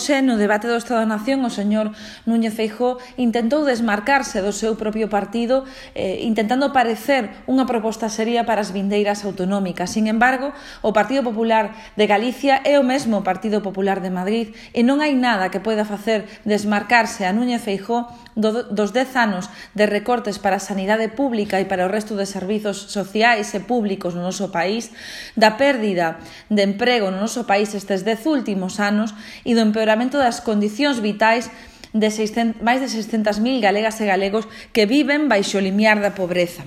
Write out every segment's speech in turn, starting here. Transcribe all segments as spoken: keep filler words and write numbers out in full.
hoxe, no debate do Estado da Nación, o señor Núñez Feijóo intentou desmarcarse do seu propio partido, eh, intentando parecer unha proposta seria para as vindeiras autonómicas. Sin embargo, o Partido Popular de Galicia é o mesmo Partido Popular de Madrid e non hai nada que poida facer desmarcarse a Núñez Feijóo do, dos dez anos de recortes para a sanidade pública e para o resto de servizos sociais e públicos no noso país, da pérdida de emprego no noso país estes dez últimos anos e do empeoramento das condicións vitais de seiscentos, máis de seiscentas mil galegas e galegos que viven baixo o limiar da pobreza.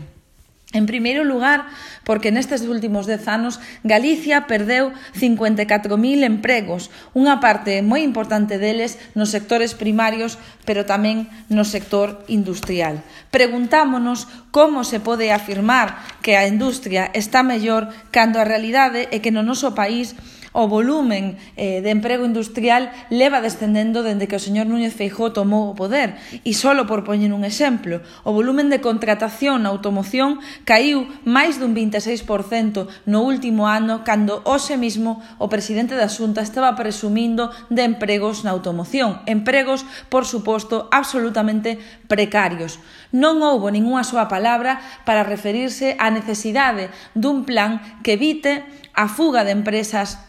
En primeiro lugar, porque nestes últimos dez anos Galicia perdeu cincuenta e catro mil empregos, unha parte moi importante deles nos sectores primarios, pero tamén no sector industrial. Preguntámonos como se pode afirmar que a industria está mellor cando a realidade é que no noso país o volumen eh, de emprego industrial leva descendendo dende que o señor Núñez Feijóo tomou o poder. E solo por poñer un exemplo, o volumen de contratación na automoción caiu máis dun vinte e seis por cento no último ano, cando hoxe mesmo o presidente da Xunta estaba presumindo de empregos na automoción. Empregos, por suposto, absolutamente precarios. Non houbo ningunha súa palabra para referirse á necesidade dun plan que evite a fuga de empresas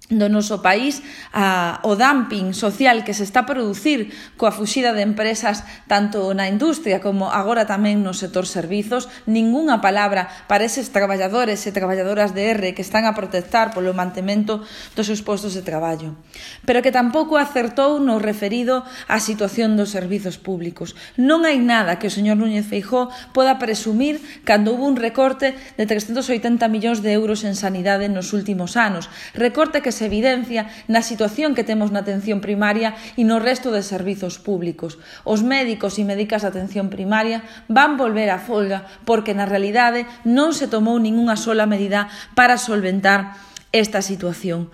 do noso país, a, o dumping social que se está a producir coa fuxida de empresas tanto na industria como agora tamén no sector servizos. Ningunha palabra para eses traballadores e traballadoras de R que están a protestar polo mantemento dos seus postos de traballo. Pero que tampouco acertou no referido á situación dos servizos públicos. Non hai nada que o señor Núñez Feijóo poda presumir cando hubo un recorte de trescentos oitenta millóns de euros en sanidade nos últimos anos. Recorte que se evidencia na situación que temos na atención primaria e no resto de servizos públicos. Os médicos e médicas de atención primaria van volver á folga porque na realidade non se tomou ningunha sola medida para solventar esta situación.